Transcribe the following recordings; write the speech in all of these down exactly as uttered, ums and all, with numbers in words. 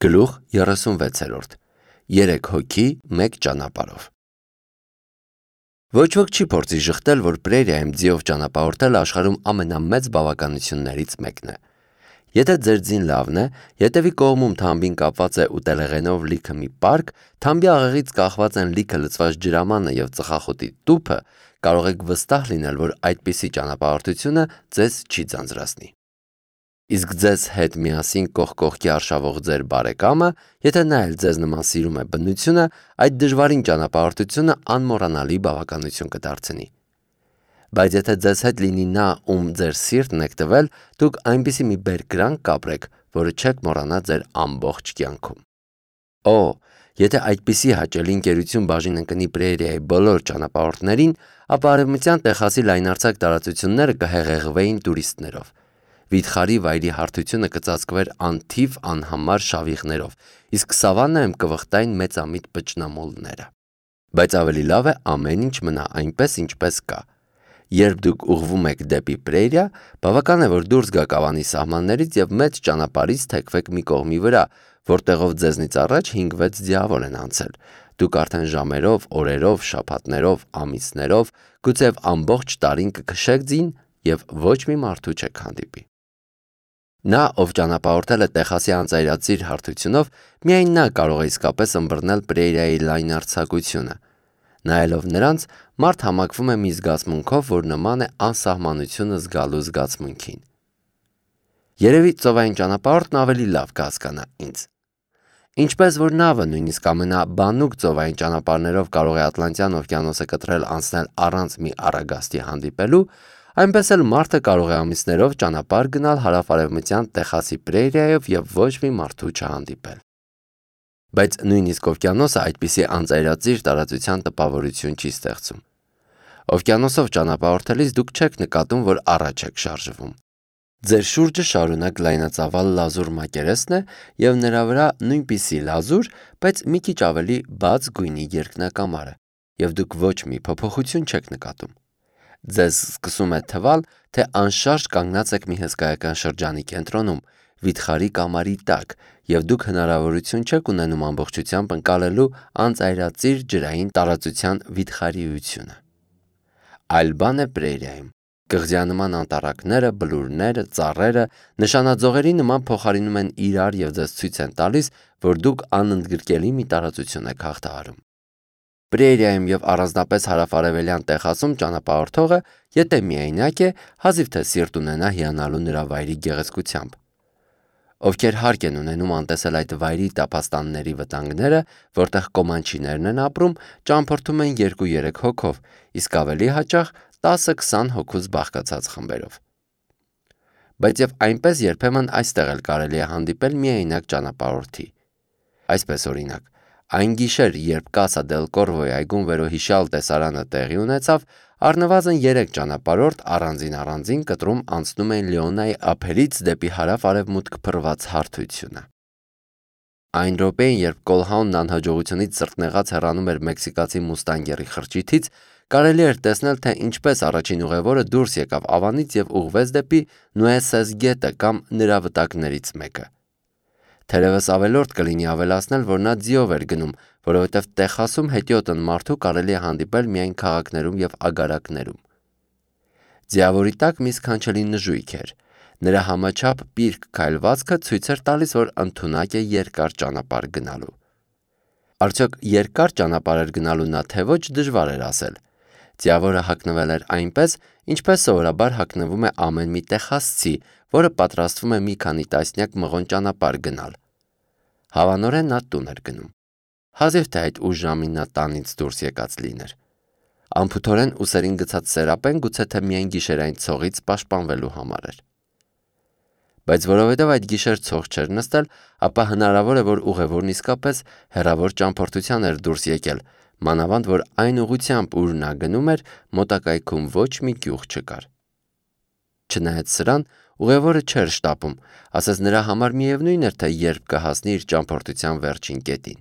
Գլուխ երեսունվեցերորդ. Երեք հոգի մեկ ճանապարհով։ Ոչ ոք չի փորձի ժխտել, որ պրերիայում ձիով ճանապարհորդելը աշխարհում ամենամեծ բավականություններից մեկն է։ Եթե ձեր ձին լավն է, ետևի կողմում թամբին կապված է ուտելեղենով լիքը մի պարկ, թամբի աղեղից կախված են լիքը լցված ջրամանը եւ ծխախոտի տուփը, կարող եք վստահ լինել, որ այդպիսի ճանապարհորդությունը ձեզ չի ձանձրացնի։ Իսկ ձեզ հետ միասին կողք կողքի արշավող ձեր բարեկամը, եթե նա էլ ձեզ նման սիրում է բնությունը, այդ դժվարին ճանապարհորդությունը անմոռանալի բավականություն կդարձնի։ Բայց եթե ձեզ հետ լինի նա, ում ձեր սիրտն եք տվել, դուք այնպիսի մի բերկրանք կապրեք, որը չեք մոռանա ձեր ամբողջ կյանքում։ Օ, եթե այդպիսի հաճելի ընկերություն բաժին ընկնի պրերիայի բոլոր ճանապարհորդներին, ապա արևմտյան Տեխասի լայնարձակ տարածությունները կհեղեղվեին տուրիստներով։ Վիթխարի վայրի հարթությունը կծածկվեր անթիվ անհամար շավիղներով, իսկ սավաննայում կվխտային մեծամիտ բջնամոլները։ Բայց ավելի լավ է ամեն ինչ մնա այնպես, ինչպես կա։ Երբ դուք ուղղվում եք դեպի պրերիա, բավական է, որ դուրս գաք ավանի սահմաններից եւ մեծ ճանապարհից թեքվեք մի կողմի վրա, որտեղով ձեզնից առաջ հինգ-վեց ձիավոր են անցել։ Դուք արդեն ժամերով, օրերով, շաբաթներով, ամիսներով, գուցեև ամբողջ տարին կքշեք ձին եւ ոչ մի մարդու չեք հանդիպի։ Նա, ով ճանապարհորդել է Տեխասի անծայրածիր հարթությունով, միայն նա կարող է իսկապես ըմբռնել պրերիայի լայնարձակությունը։ Նայելով նրանց, մարդ համակվում է մի զգացմունքով, որ նման է անսահմանությունը զգալու զգացմունքին։ Երևի ծովային ճանապարհորդն ավելի լավ կհասկանա ինձ։ Ինչպես որ նավը նույնիսկ ամենաբանուկ ծովային ճանապարհներով կարող է Ատլանտյան օվկիանոսը կտրել անցնել առանց մի առագաստի հանդիպելու, այնպես էլ մարդը կարող է ամիսներով ճանապարհ գնալ հարավ-արևմտյան Տեխասի պրերիայով եւ ոչ մի մարդու չհանդիպել։ Բայց նույնիսկ օվկիանոսը այդպիսի անծայրածիր տարածության տպավորություն չի ստեղծում։ Օվկիանոսով ճանապարհորդելիս դուք չեք նկատում, որ առաջ եք շարժվում։ Ձեր շուրջը շարունակ լայնածավալ լազուր մակերեսն է եւ նրա վրա նույնպիսի լազուր, բայց մի քիչ ավելի բաց գույնի երկնակամարը, եւ դուք ոչ մի փոփոխություն չեք նկատում։ Ձեզ սկսում է թվալ, թե անշարժ կանգնած եք մի հսկայական շրջանի կենտրոնում, վիթխարի կամարի տակ, եւ դուք հնարավորություն չեք ունենում ամբողջությամբ ընկալելու անծայրածիր ջրային տարածության վիթխարիությունը։ Այլ բան է պրերիայում։ Կղզյանման անտառակները, բլուրները, ծառերը նշանաձողերի նման փոխարինում են իրար եւ ձեզ ցույց են տալիս, որ դուք անընդգրկելի մի տարածություն եք հաղթահարում։ Պրերիայում եւ առանձնապես հարավ-արևելյան Տեխասում ճանապարհորդողը, եթե միայնակ է, հազիվ թե սիրտ ունենա հիանալու նրա վայրի գեղեցկությամբ։ Ովքեր հարկ են ունենում անտեսել այդ վայրի տափաստանների վտանգները, որտեղ կոմանչիներն են ապրում, ճամփորդում են երկու-երեք հոգով, իսկ ավելի հաճախ տասը-քսան հոգուց բաղկացած խմբերով։ Բայց եւ այնպես երբեմն այստեղ էլ կարելի է հանդիպել միայնակ ճանապարհորդի։ Այսպես օրինակ, այն գիշեր, երբ Կասա դել Կորվոյի այգում վերոհիշյալ տեսարանը տեղի ունեցավ, առնվազն երեք ճանապարհորդ առանձին առանձին կտրում անցնում էին Լեոնայի ափերից դեպի հարավ-արևմուտք փռված հարթությունը։ Այն րոպեին, երբ Կոլհաունն անհաջողությունից սրտնեղած հեռանում էր մեքսիկացի մուստանգերի խրճիթից, կարելի էր տեսնել, թե ինչպես առաջին ուղևորը դուրս եկավ ավանից եւ ուղղվեց դեպի Նուեսես գետը կամ նրա վտակներից մեկը։ Թերևս ավելորդ կլինի ավելացնել, որ նա ձիով էր գնում, որովհետև Տեխասում հետիոտն մարդու կարելի է հանդիպել միայն քաղաքներում եւ ագարակներում։ Ձիավորի տակ մի սքանչելի նժույգ էր։ Նրա համաչափ պիրկ քայլվածքը ցույց էր տալիս, որ ընդունակ է երկար ճանապարհ գնալու։ Արդյոք երկար ճանապարհ էր գնալու նա թե ոչ դժվար էր ասել։ Ձիավորը հագնվել էր այնպես, ինչպես սովորաբար հագնվում է ամեն մի տեխասցի, որը պատրաստվում է մի քանի տասնյակ մղոն ճանապարհ գնալ։ Հավանորեն նա տուն էր գնում։ Հազիվ թե այդ ուշ ժամին նա տանից դուրս եկած լիներ։ Անփութորեն ուսերին գցած սերապեն գուցե թե միայն գիշերային ցողից պաշտպանվելու համար էր։ Բայց որովհետև այդ գիշեր ցող չէր նստել, ապա հնարավոր է, որ ուղևորն իսկապես հեռավոր ճամփորդության էր դուրս եկել, մանավանդ որ այն ուղությամբ, ուր նա գնում էր, մոտակայքում ոչ մի գյուղ չկար։ Չնայած սրան, ուղևորը չէր շտապում, ասես նրա համար միևնույն էր, թե երբ կհասնի իր ճամփորդության վերջին կետին։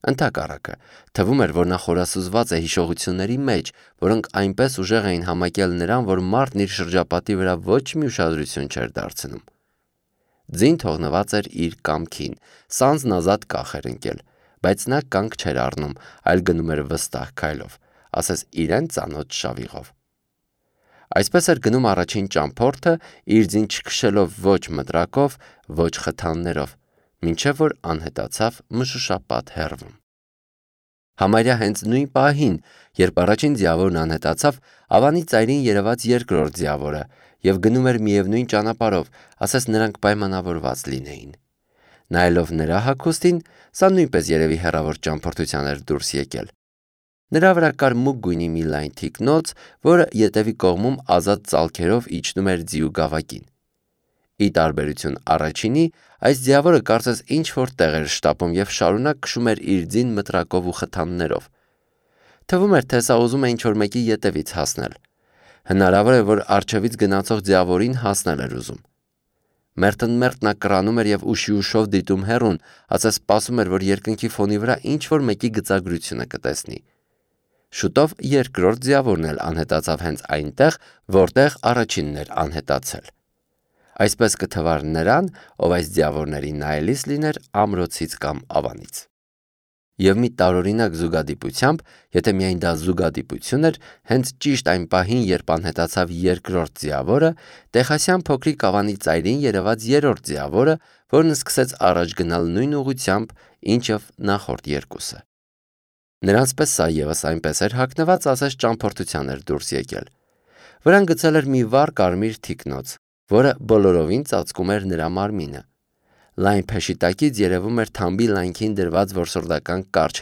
Ընդհակառակը, թվում էր, որ նա խորասուզված է հիշողությունների մեջ, որոնք այնպես ուժեղ էին համակել նրան, որ մարդն իր շրջապատի վրա ոչ մի ուշադրություն չէր դարձնում։ Ձին թողնված էր իր կամքին, սանձն ազատ կախ էր ընկել, բայց նա կանգ չէր առնում, այլ գնում էր վստահ քայլով, ասես իրեն ծանոթ շավիղով։ Այսպես էր գնում առաջին ճամփորդը, իր ձին չքշելով ոչ մտրակով, ոչ խթաններով, մինչև որ անհետացավ մշուշապատ հեռվում։ Համարյա հենց նույն պահին, երբ առաջին ձիավորն անհետացավ, Ավանի ծայրին երևաց երկրորդ ձիավորը և գնում էր միևնույն ճանապարհով, ասես նրանք պայմանավորված լինեին։ Նայելով նրա հագուստին, սա նույնպես երևի հեռավոր ճամփորդության էր դուրս եկել։ Նրա վրա կար մուգ գույնի մի լայն թիկնոց, որը ետևի կողմում ազատ ծալքերով իջնում էր ձիու գավակին։ Ի տարբերություն առաջինի, այս ձիավորը կարծես ինչ-որ տեղ էր շտապում և շարունակ քշում էր իր ձին մտրակով ու խթաններով։ Թվում էր, թե սա ուզում է ինչ-որ մեկի ետևից հասնել։ Հնարավոր է, որ առջևից գնացող ձիավորին հասնել էր ուզում։ Մերթընդմերթ նա կռանում էր և ուշի ուշով դիտում հեռուն, ասես սպասում էր, որ երկնքի ֆոնի վրա ինչ-որ մեկի գծագրությունը կտեսնի։ Շուտով երկրորդ ձիավորն էլ անհետացավ հենց այնտեղ, որտեղ առաջինն էր անհետացել։ Այսպես կթվար նրան, ով այս ձիավորների նայելիս լիներ ամրոցից կամ ավանից։ Եվ մի տարօրինակ զուգադիպությամբ, եթե միայն դա զուգադիպություն էր, հենց ճիշտ այն պահին, երբ անհետացավ երկրորդ ձիավորը, Տեխասյան փոքրիկ ավանի ծայրին երևաց երրորդ ձիավորը, որն սկսեց առաջ գնալ նույն ուղղությամբ, ինչով նախորդ երկուսը։ Նրանց պես սա ևս այնպես էր հագնված, ասես ճամփորդության էր դուրս եկել։ Վրան գցել էր մի վառ կարմիր թիկնոց, որը բոլորովին ծածկում էր նրա մարմինը։ Լայն փեշի տակից երևում էր թամբի լայնքին դրված որսորդական կարճ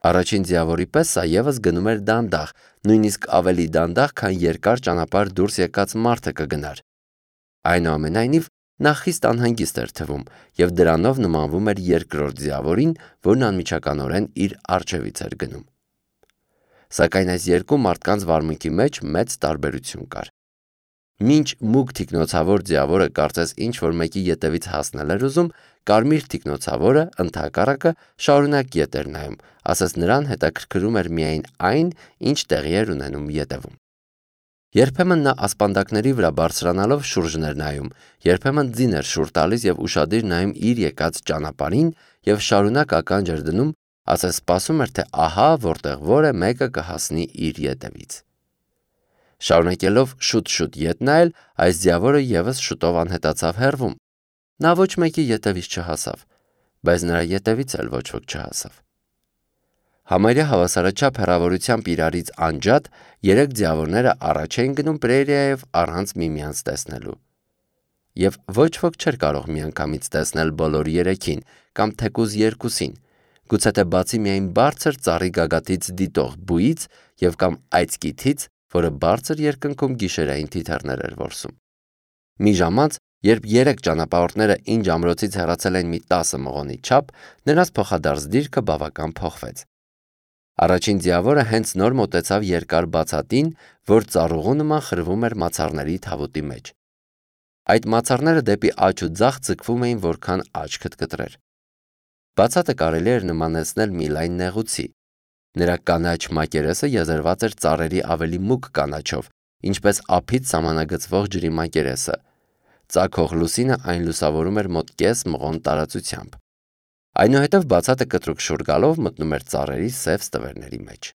Առաջին ձիավորի պես սա ևս գնում էր դանդաղ, նույնիսկ ավելի դանդաղ, քան երկար ճանապարհ դուրս եկած մարդը կգնար։ Այնուամենայնիվ, նա խիստ անհանգիստ էր թվում և դրանով նմանվում էր երկրորդ ձիավորին, որն անմիջականորեն իր առջևից էր գնում։ Սակայն այս երկու մարդկանց վարմունքի մեջ մեծ տարբերություն կար։ Մինչ մուգ թիկնոցավոր ձիավորը կարծես ինչ-որ մեկի ետևից հասնել էր ուզում, կարմիր թիկնոցավորը, ընդհակառակը, շարունակ ետ էր նայում, ասես նրան հետաքրքրում էր միայն այն, ինչ տեղի էր ունենում ետևում։ Երբեմն նա ասպանդակների վրա բարձրանալով շուրջն էր նայում, երբեմն ձին էր շուռ տալիս և ուշադիր նայում իր եկած ճանապարհին և շարունակ ականջ էր դնում, ասես սպասում էր, թե ահա որտեղ որ է մեկը կհասնի իր ետևից։ Շարունակելով շուտ-շուտ ետ նայել, այս ձիավորը ևս շուտով անհետացավ հեռվում։ Նա ոչ մեկի ետևից չհասավ, բայց նրա ետևից էլ ոչ ոք չհասավ։ Համարյա հավասարաչափ հեռավորությամբ իրարից անջատ երեք ձիավորները առաջ էին գնում պրերիայով առանց միմյանց տեսնելու։ Եվ ոչ ոք չէր կարող միանգամից տեսնել բոլոր երեքին կամ թեկուզ երկուսին, գուցե թե բացի միայն բարձր ծառի գագաթից դիտող բույից և կամ այծկիթից, որը բարձր երկնքում գիշերային թիթեռներ էր որսում։ Մի ժամանց, երբ երեք ճանապարհորդները ինջ ամրոցից հեռացել են մի տասը մղոնի չափ, նրանց փոխադարձ դիրքը բավական փոխվեց։ Առաջին ձիավորը հենց նոր մոտեցավ երկար բացատին, որ ծառուղու նման խրվում էր մացառների թավուտի մեջ։ Այդ մացառները դեպի աջ ու ձախ ձգվում էին, որքան աչքդ կտրեր։ Բացատը կարելի էր նմանեցնել մի լայն նեղուցի։ Նրա կանաչ մակերեսը եզերված էր ծառերի ավելի մուգ կանաչով, ինչպես ափից սահմանագծվող ջրի մակերեսը։ Ծագող լուսինը այն լուսավորում էր մոտ կես մղոն տարածությամբ։ Այնուհետև բացատը կտրուկ շուռ գալով մտնում էր ծառերի սև ստվերների մեջ։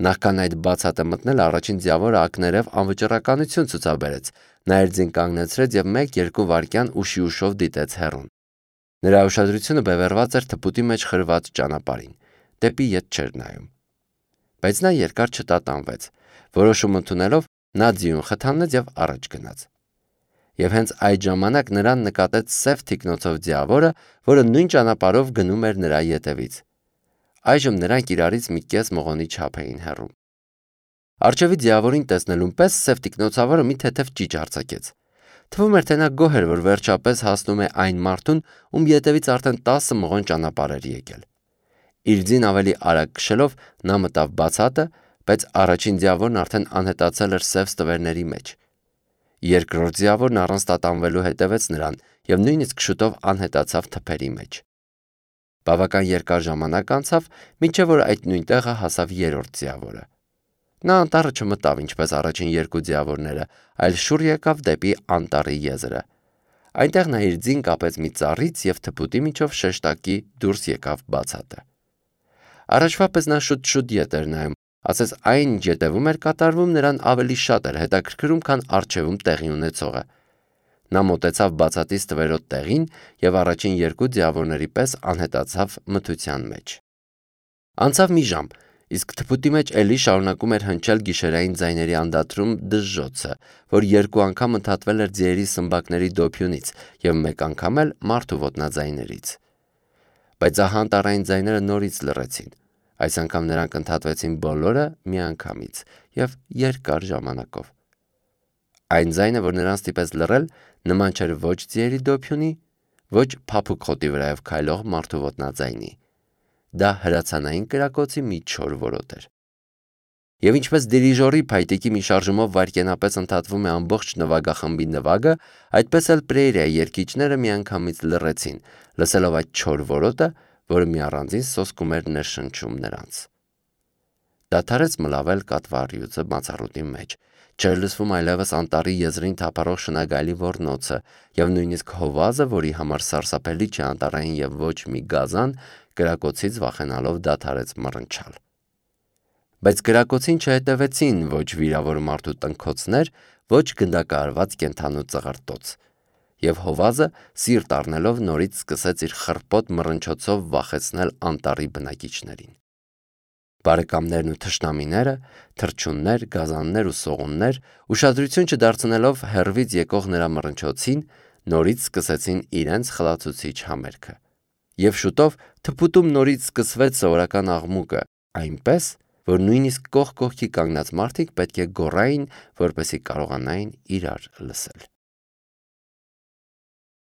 Նախքան այդ բացատը մտնել, առաջին ձիավորը ակներև անվճռականություն ցուցաբերեց, նա իր ձին կանգնեցրեց և մեկ-երկու վայրկյան ուշի ուշով դիտեց հեռուն։ Նրա ուշադրությունը բևեռված էր թփուտի մեջ խրված ճանապարհին, դեպի ետ չէր նայում։ Բայց նա երկար չտատանվեց, որոշում ընդունելով նա ձիուն խթանեց և առաջ գնաց։ Եվ հենց այդ ժամանակ նրան նկատեց սև թիկնոցով ձիավորը, որը նույն ճանապարհով գնում էր նրա ետևից։ Այժմ նրանք իրարից մի կես մղոնի չափ էին հեռու։ Առջևի ձիավորին տեսնելուն պես սև թիկնոցավորը մի թեթև ճիչ արձակեց։ Թվում էր, թե նա գոհ էր, որ վերջապես հասնում է այն մարդուն, ում ետևից արդեն տասը մղոն ճանապարհ էր եկել։ Իր ձին ավելի արագ քշելով նա մտավ բացատը, բայց առաջին ձիավորն արդեն անհետացել էր սև ստվերների մեջ։ Երկրորդ ձիավորն առանց տատանվելու հետևեց նրան և նույնիսկ շուտով անհետացավ թփերի մեջ։ Բավական երկար ժամանակ անցավ, մինչև որ այդ նույն տեղը հասավ երրորդ ձիավորը։ Նա անտառը չմտավ ինչպես առաջին երկու ձիավորները, այլ շուռ եկավ դեպի անտառի եզրը։ Այնտեղ նա իր ձին կապեց մի ծառից և թփուտի միջով շեշտակի դուրս եկավ բացատը։ Առաջվա պես նա շուտ-շուտ ետ էր նայում, ասես այն, ինչ ետևում էր կատարվում, նրան ավելի շատ էր հետաքրքրում, քան առջևում տեղի ունեցողը։ Նա մոտեցավ բացատից տվերոտ տեղին և առաջին երկու ձիավորների պես անհետացավ մթության մեջ։ Անցավ մի ժամ, իսկ թփուտի մեջ էլի շարունակում էր հնչել գիշերային ձայների անդադրում դժժոցը, որ երկու անգամ ընդհատվել էր ձիերի սմբակների դոփյունից և մեկ անգամ էլ մարդու ոտնաձայներից։ Բայց ահա անտառային ձայները նորից լռեցին։ Այս անգամ նրանք ընդհատվեցին բոլորը միանգամից և երկար ժամանակով։ Այն ձայնը, որ նրան ստիպեց լռել, նման չէր ոչ ձիերի դոփյունի, ոչ փափուկ խոտի վրայով քայլող մարդու ոտնաձայնի։ Դա հրացանային կրակոցի մի չոր որոտ էր։ Եվ ինչպես դիրիժորի փայտիկի մի շարժումով վայրկենապես ընդհատվում է ամբողջ նվագախմբի նվագը, այդպես էլ Պրեիրիայի երգիչները միանգամից լռեցին, լսելով այդ չոր որոտը, որը մի առանձին սոսկում էր ներշնչում նրանց։ Դադարեց մլավել կատվառյուծը մացառուտի մեջ, չէր լսվում այլևս անտառի եզրին թափառող շնագայլի ոռնոցը, և նույնիսկ հովազը, որի համար սարսափելի չէ անտառային և ոչ մի գազան, կրակոցից վախենալով դադարեց մռնչալ։ Բայց կրակոցին չհետևեցին ոչ վիրավոր մարդու տնքոցներ, ոչ գնդակահարված կենդանու ծղրտոց, և հովազը սիրտ առնելով նորից սկսեց իր խռպոտ մռնչոցով վախեցնել անտառի բնակիչներին։ Բարեկամներն ու թշնամիները, թռչուններ, գազաններ ու սողուններ, ուշադրություն չդարձնելով հեռվից եկող նրա մռնչոցին, նորից սկսեցին իրենց խլացուցիչ համերգը։ Եվ շուտով թփուտում նորից սկսվեց սովորական աղմուկը, այնպես, որ նույնիսկ կողք կողքի կանգնած մարդիկ պետք է գոռային, որպեսզի կարողանային իրար լսել։